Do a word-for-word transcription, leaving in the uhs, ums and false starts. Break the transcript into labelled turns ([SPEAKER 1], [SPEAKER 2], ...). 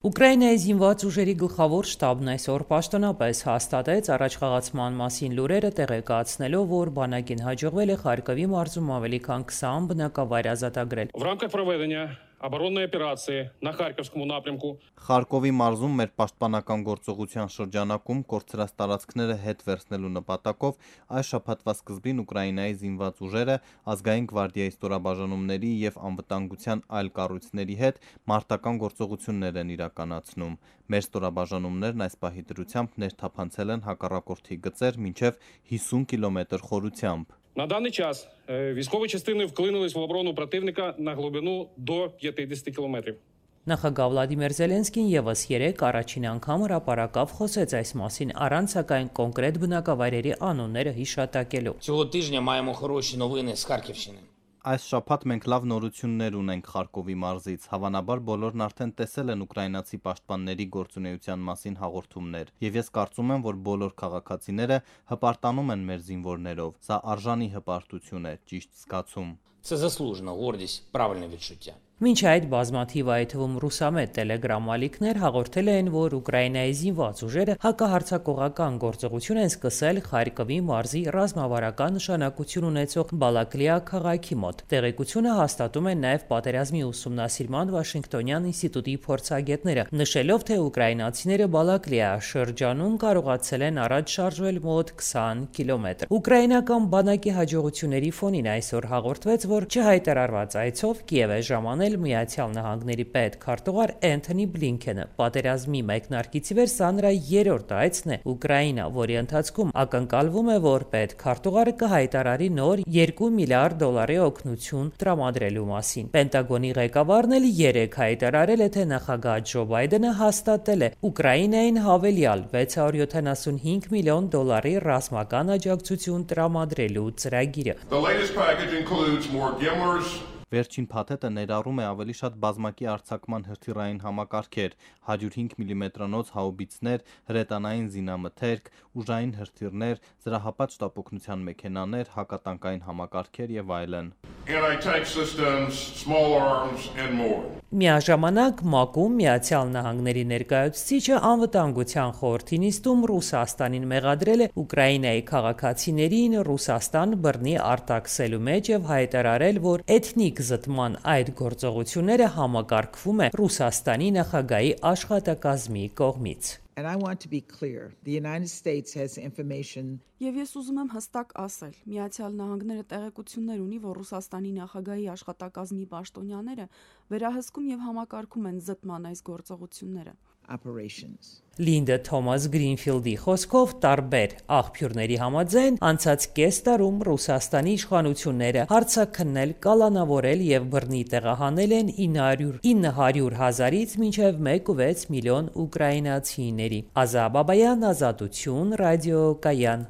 [SPEAKER 1] Ուկրաինայի զինված ուժերի գլխավոր շտաբն այսօր պաշտոնապես հաստատեց առաջխաղացման մասին լուրերը, տեղեկացնելով, որ բանակին հաջողվել է Խարկովի մարզում ավելի քան քսան բնակավայր ազատագրել։
[SPEAKER 2] В рамках проведення оборонної операції на Харківському напрямку
[SPEAKER 3] Խարկովի մարզում մեր պաշտպանական գործողության շրջանակում կորցրած տարածքները հետ վերցնելու նպատակով այս շաբաթվա սկզբին Ուկրաինայի զինված ուժերը ազգային գվարդիայի ստորաբաժանումների եւ անվտանգության այլ կառույցների հետ մարտական գործողություններ են իրականացնում։ Մեր ստորաբաժանումներն այս պահի դրությամբ ներթափանցել են հակառակորդի գծեր մինչև հիսուն կիլոմետր խորությամբ։
[SPEAKER 2] На даний час військові частини вклинились в оборону противника на глибину до п'ятдесят кілометрів.
[SPEAKER 1] Նախագահ Վլադիմիր Զելենսկին եւս երեք առաջին անգամ հրապարակավ խոսեց այս մասին, առանց սակայն կոնկրետ բնակավայրերի անունները հիշատակելու։
[SPEAKER 4] Цього тижня маємо хороші новини з Харківщини.
[SPEAKER 3] Այս շաբաթ մենք լավ նորություններ ունենք Խարկովի մարզից։ Հավանաբար բոլորն արդեն տեսել են ուկրաինացի պաշտպանների գործունեության մասին հաղորդումներ, եւ ես կարծում եմ, որ բոլոր քաղաքացիները հպարտանում են մեր զինվորներով։ Սա արժանի հպարտություն է, ճիշտ զգացում։
[SPEAKER 4] Це заслужена гордість, правильне відчуття.
[SPEAKER 1] Մինչ այդ բազմաթիվ այդ թվում ռուսամետ տելեգրամ ալիքներ հաղորդել են, որ Ուկրաինայի զինված ուժերը հակահարձակողական գործողություն են սկսել Խարկովի մարզի ռազմավարական նշանակություն ունեցող Բալակլիա քաղաքի մոտ։ Տեղեկությունը հաստատում են նաև պատերազմի ուսումնասիրման Վաշինգտոնյան ինստիտուտի փորձագետները, նշելով, թե ուկրաինացիները Բալակլիա շրջանում կարողացել են առաջ շարժվել մոտ քսան կիլոմետր։ Ուկրաինական բանակի հաջողությունների ֆոնին այսօր հաղորդվեց, որ չհայտարարված այցով Կիև է ժամանել Միացյալ Նահանգների պետքարտուղար Էնթոնի Բլինքենը։ Պատերազմի մեկնարկից ի վեր սա նրա երրորդ այցն է Ուկրաինա, որի ընթացքում ակնկալվում է, որ պետքարտուղարը կհայտարարի նոր երկու միլիարդ դոլարի օգնություն տրամադրելու մասին։ Պենտագոնի ղեկավարն էլ երեք հայտարարել է, թե նախագահ Ջո Բայդենը հաստատել է Ուկրաինային հավելյալ վեց հարյուր յոթանասունհինգ միլիոն դոլարի ռազմական աջակցություն տրամադրելու ծրագիրը։
[SPEAKER 5] The latest package includes more GIMLRS.
[SPEAKER 3] Վերջին փաթեթը ներառում է ավելի շատ բազմակի արձակման հրթիռային համակարգեր, հարյուր հինգ միլիմետրանոց հաուբիցներ, հրետանային զինամթերք, ուժային հրթիռներ, զրահապատ շտապօգնության մեքենաներ, հակատանկային համակարգեր եւ այլն։
[SPEAKER 5] Anti-tank systems, small arms and more.
[SPEAKER 1] Միաժամանակ ՄԱԿ-ում Միացյալ Նահանգների ներկայացուցիչը անվտանգության խորհրդի նիստում Ռուսաստանին մեղադրել է Ուկրաինայի քաղաքացիներին Ռուսաստան բռնի արտաքսելու մեջ եւ հայտարարել, որ էթնիկ զտման այդ գործողությունները համակարգվում է Ռուսաստանի նախագահի աշխատակազմի կողմից։
[SPEAKER 6] And I want to be clear. The United States has information.
[SPEAKER 7] Եվ ես ուզում եմ հստակ ասել, Միացյալ Նահանգները տեղեկություններ ունի, որ Ռուսաստանի նախագահի աշխատակազմի պաշտոնյաները վերահսկում եւ համակարգում են զտման այս գործողությունները։
[SPEAKER 6] Operations.
[SPEAKER 1] Լինդա Թոմաս Գրինֆիլդի խոսքով տարբեր աղբյուրների համաձայն անցած կես տարում Ռուսաստանի իշխանությունները հարձակքնել, կալանավորել եւ բռնի տեղահանել են ինը հարյուր հազարից մինչեւ մեկ ու վեց միլիոն ուկրաինացիների։ Ազա Բաբայան, Ազատություն, ռադիո Կայան։